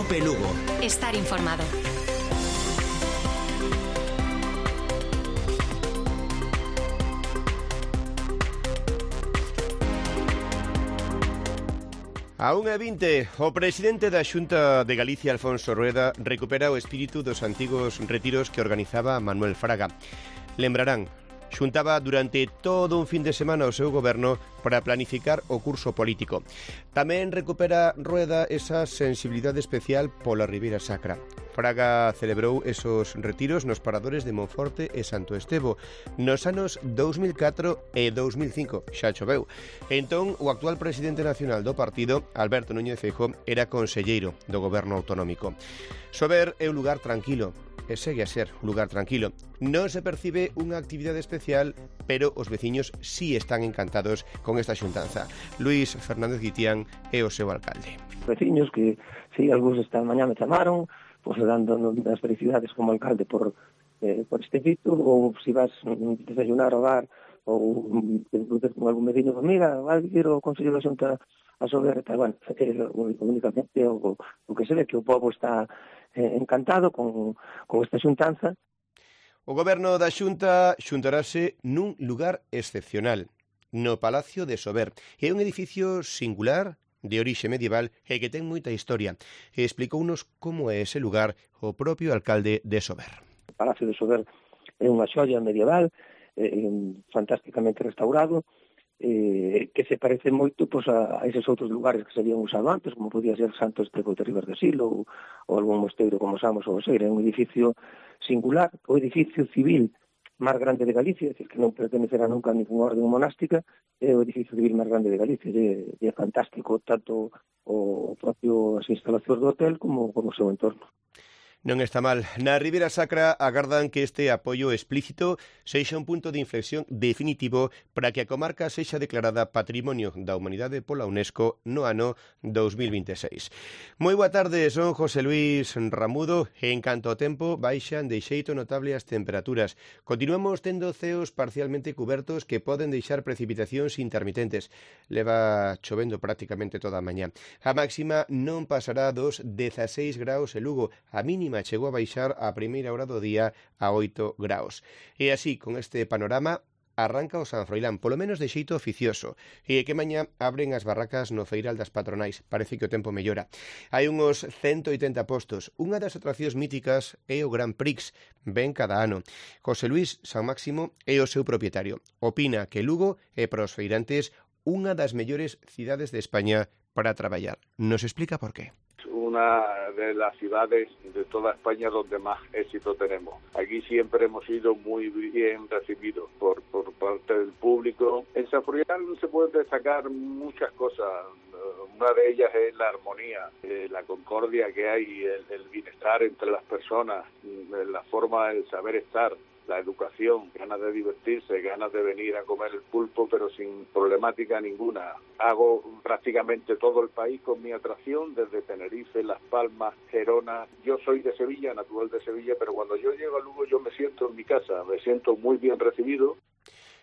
Cope Lugo. Estar informado. A 1:20, o presidente da Xunta de Galicia, Alfonso Rueda, recupera o espírito dos antigos retiros que organizaba Manuel Fraga. Lembrarán, xuntaba durante todo un fin de semana o seu goberno para planificar o curso político. Tamén recupera Rueda esa sensibilidade especial pola Ribeira Sacra. Fraga celebrou esos retiros nos paradores de Monforte e Santo Estevo nos anos 2004 e 2005, xa choveu. Entón, o actual presidente nacional do partido, Alberto Núñez Feijóo, era conselleiro do goberno autonómico. Sober é un lugar tranquilo, e segue a ser un lugar tranquilo. Non se percibe unha actividade especial, pero os veciños sí están encantados con esta xuntanza. Luis Fernández Guitián é o seu alcalde. Veciños que, si, algúns esta mañá me chamaron, pues dando as felicidades como alcalde por este feito, ou se vas desayunar ao bar, ou con algún vecino, mira, vai vir o Consello da Xunta a Sober, bueno, únicamente o que se ve que o povo está encantado con esta xuntanza. O goberno da Xunta xuntarase nun lugar excepcional, no Palacio de Sober. É un edificio singular, de orixe medieval e que ten moita historia. E explicounos como é ese lugar o propio alcalde de Sober. O Palacio de Sober é unha xoia medieval, fantásticamente restaurado, que se parece moito pues, a eses outros lugares que se habían usado antes, como podía ser Santo Estevo de Ribas de Sil ou algún mosteiro como Samos ou Oseira. É un edificio singular, o edificio civil máis grande de Galicia, é dicir, que non pertenecerá nunca a ninguna orden monástica, é o edificio civil máis grande de Galicia, é fantástico tanto o propio as instalacións do hotel como o seu entorno. Non está mal. Na Ribeira Sacra agardan que este apoio explícito sexa un punto de inflexión definitivo para que a comarca sexa declarada Patrimonio da Humanidade pola UNESCO no ano 2026. Moi boa tarde, son José Luis Ramudo e en canto ao tempo baixan de xeito notable as temperaturas. Continuamos tendo ceos parcialmente cubertos que poden deixar precipitacións intermitentes. Leva chovendo prácticamente toda a mañá. A máxima non pasará dos 16 graus en Lugo, a mínima chegou a baixar a primeira hora do día a 8 graus. E así, con este panorama, arranca o San Froilán, polo menos de xeito oficioso, e que mañá abren as barracas no Feiral das Patronais. Parece que o tempo mellora. Hai uns 180 postos. Unha das atraccións míticas é o Gran Prix, ven cada ano. José Luis San Máximo é o seu propietario. Opina que Lugo é para os feirantes unha das mellores cidades de España para traballar. Nos explica por qué. Una de las ciudades de toda España donde más éxito tenemos. Aquí siempre hemos sido muy bien recibidos por parte del público. En San Froilán se pueden destacar muchas cosas. Una de ellas es la armonía, la concordia que hay, el bienestar entre las personas, la forma del saber estar, la educación, ganas de divertirse, ganas de venir a comer el pulpo, pero sin problemática ninguna. Hago prácticamente todo el país con mi atracción, desde Tenerife, Las Palmas, Gerona. Yo soy de Sevilla, natural de Sevilla, pero cuando yo llego a Lugo yo me siento en mi casa, me siento muy bien recibido.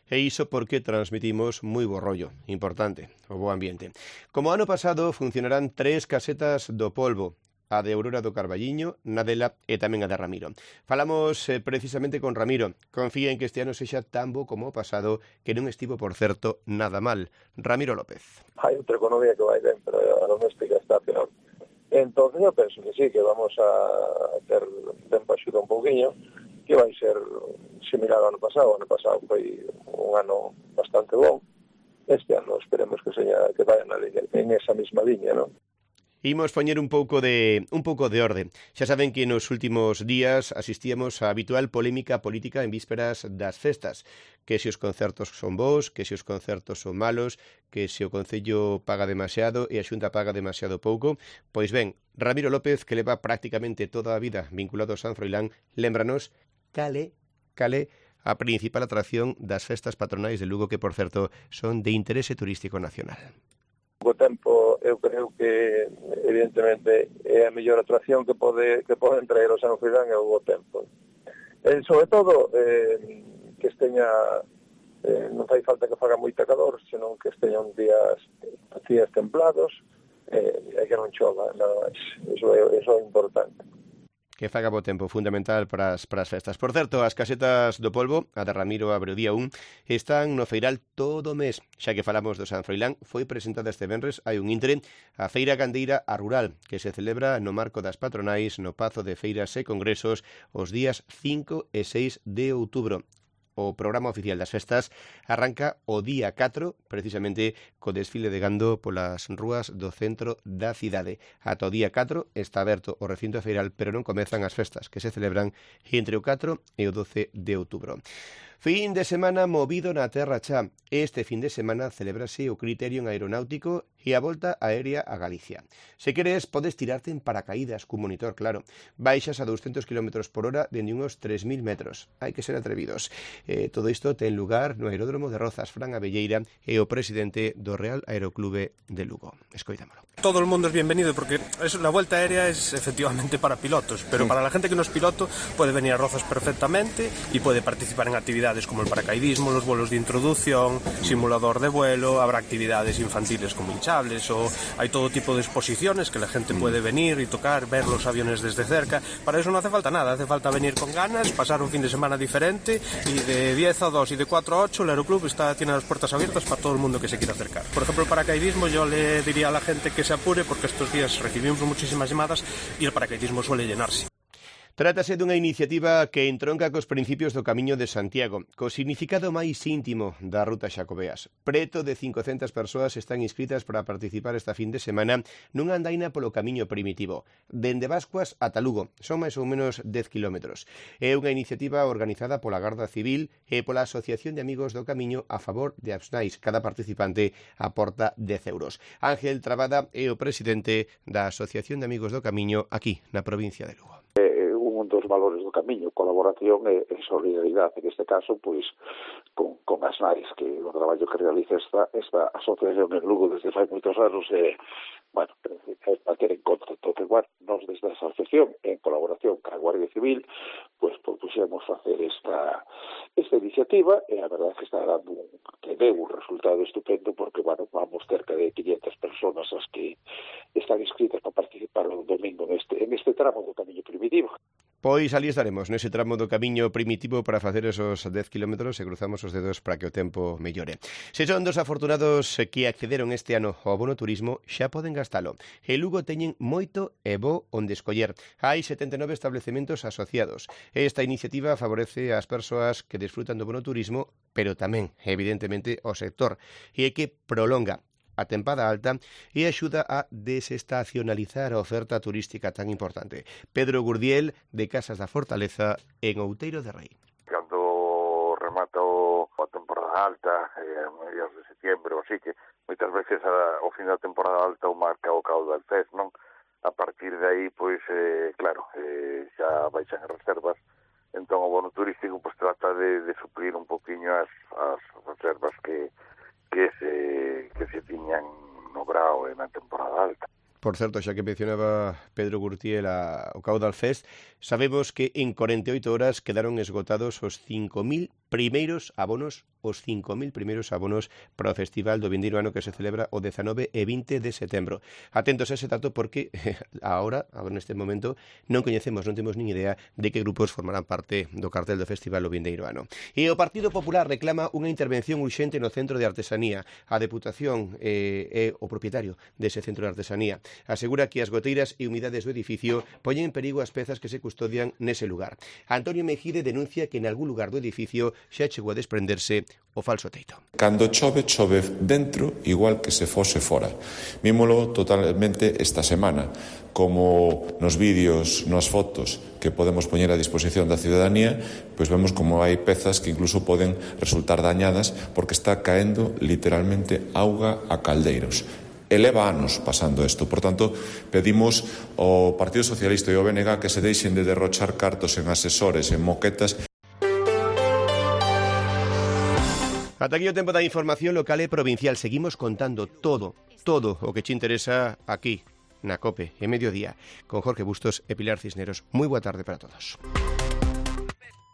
E iso porque transmitimos moi bo rollo, importante, o bo ambiente. Como ano pasado funcionarán 3 casetas do polvo, a de Aurora do Carballiño, Nadela e tamén a de Ramiro. Falamos precisamente con Ramiro. Confía en que este ano sexa tan bo como o pasado, que non estivo, por certo, nada mal. Ramiro López. Hai outra economía que vai ben, pero a doméstica está peor. Entón, eu penso que sí, que vamos a ter tempo axuda un pouquinho, que vai ser similar ao ano pasado. O ano pasado foi un ano bastante bom. Este ano esperemos que seña que vayan en esa mesma liña, non? Imos poñer un pouco de orde. Xa saben que nos últimos días asistíamos á habitual polémica política en vísperas das festas, que se os concertos son bons, que se os concertos son malos, que se o Concello paga demasiado e a Xunta paga demasiado pouco. Pois ben, Ramiro López, que leva prácticamente toda a vida vinculado ao San Froilán, lembranos cale a principal atracción das festas patronais de Lugo, que, por certo, son de interese turístico nacional. O tempo, eu creo que evidentemente é a mellor atracción que poden traer o San Froilán é o bo tempo. Sobre todo que esteña non fai falta que faga moita calor, senón que esteñan días templados, e que non chova, nada máis. Iso é importante. Que faga bo tempo, fundamental para as festas. Por certo, as casetas do polvo, a de Ramiro abre o día 1, están no feiral todo o mes. Xa que falamos do San Froilán, foi presentada este venres hai un intre a Feira Gandeira a Rural, que se celebra no marco das patronais no Pazo de Feiras e Congresos os días 5 e 6 de outubro. O programa oficial das festas arranca o día 4, precisamente co desfile de gando polas rúas do centro da cidade. Ata o día 4 está aberto o recinto feiral, pero non comezan as festas, que se celebran entre o 4 e o 12 de outubro. Fin de semana movido na Terra Cha. Este fin de semana celebrase o Criterium Aeronáutico e a volta aérea a Galicia. Se queres, podes tirarte en paracaídas cun monitor, claro. Baixas a 200 km por hora dende uns 3.000 metros. Hai que ser atrevidos. Todo isto ten lugar no aeródromo de Rozas, Fran Abelleira e o presidente do Real Aeroclube de Lugo. Escoitámolo. Todo el mundo es bienvenido porque la vuelta aérea es efectivamente para pilotos, pero para la gente que no es piloto puede venir a Rozas perfectamente y puede participar en actividades como el paracaidismo, los vuelos de introducción, simulador de vuelo, habrá actividades infantiles como hinchables o hay todo tipo de exposiciones que la gente puede venir y tocar, ver los aviones desde cerca. Para eso no hace falta nada, hace falta venir con ganas, pasar un fin de semana diferente y de 10 a 2 y de 4 a 8 el Aeroclub tiene las puertas abiertas para todo el mundo que se quiera acercar. Por ejemplo, el paracaidismo yo le diría a la gente que se apure porque estos días recibimos muchísimas llamadas y el paracaidismo suele llenarse. Trátase dunha iniciativa que entronca cos principios do Camiño de Santiago, co significado máis íntimo da Ruta Xacobeas. Preto de 500 persoas están inscritas para participar esta fin de semana nunha andaina polo Camiño Primitivo, dende Bascuas ata Lugo, son máis ou menos 10 kilómetros. É unha iniciativa organizada pola Garda Civil e pola Asociación de Amigos do Camiño a favor de Absnais. Cada participante aporta 10 euros. Ángel Trabada é o presidente da Asociación de Amigos do Camiño aquí na provincia de Lugo. Un dos valores do camiño, colaboración e solidaridade, en este caso, pois, con Absnais, que o traballo que realiza esta asociación en Lugo desde fai moitos anos, bueno, é para ter en conta. Entón, bueno, nos desde a asociación, en colaboración ca Guardia Civil, pois propuxemos facer esta iniciativa, e a verdade é que está dando que deu un resultado estupendo, porque, bueno, vamos cerca de 500 personas as que están inscritas para participar o domingo en este tramo do Camiño Primitivo. Pois ali estaremos, nese tramo do Camiño Primitivo para facer esos 10 kilómetros e cruzamos os dedos para que o tempo mellore. Se son dos afortunados que accederon este ano ao bono turismo, xa poden gastalo. En Lugo teñen moito e bo onde escoller. Hai 79 establecementos asociados. Esta iniciativa favorece ás persoas que desfrutan do bono turismo, pero tamén, evidentemente, ao sector, e que prolonga a tempada alta e axuda a desestacionalizar a oferta turística tan importante. Pedro Gurdiel, de Casas da Fortaleza, en Outeiro de Rei. Cando remata a temporada alta, a mediados de setembro, así que moitas veces ao fin da temporada alta o marca o Caudal Fest, non? A partir de aí, pois, claro, xa baixan as reservas, entón o bono turístico pois trata de suplir un poquinho as reservas que se tiñan no Grao e na temporada alta. Por certo, xa que mencionaba Pedro Gurtiel o Caudal Fest, sabemos que en 48 horas quedaron esgotados os 5.000 primeiros abonos para o Festival do Vindeiro Ano que se celebra o 19 e 20 de setembro. Atentos a ese dato porque agora neste momento, non coñecemos, non temos nin idea de que grupos formarán parte do cartel do Festival do Vindeiro Ano. E o Partido Popular reclama unha intervención urxente no Centro de Artesanía. A Deputación é o propietario dese Centro de Artesanía. Asegura que as goteiras e humidades do edificio poñen en perigo as pezas que se custodian nese lugar. Antonio Mejide denuncia que en algún lugar do edificio xa chegou a desprenderse o falso teito. Cando chove dentro igual que se fose fora. Vímolo totalmente esta semana, como nos vídeos, nas fotos que podemos poñer a disposición da ciudadanía, pois vemos como hai pezas que incluso poden resultar dañadas porque está caendo literalmente auga a caldeiros. Eleva anos pasando isto. Por tanto, pedimos ao Partido Socialista e ao BNG que se deixen de derrochar cartos en asesores, en moquetas. Ata aquí o tempo da información local e provincial. Seguimos contando todo o que te interesa aquí, na COPE, en Mediodía, con Jorge Bustos e Pilar Cisneros. Moi boa tarde para todos.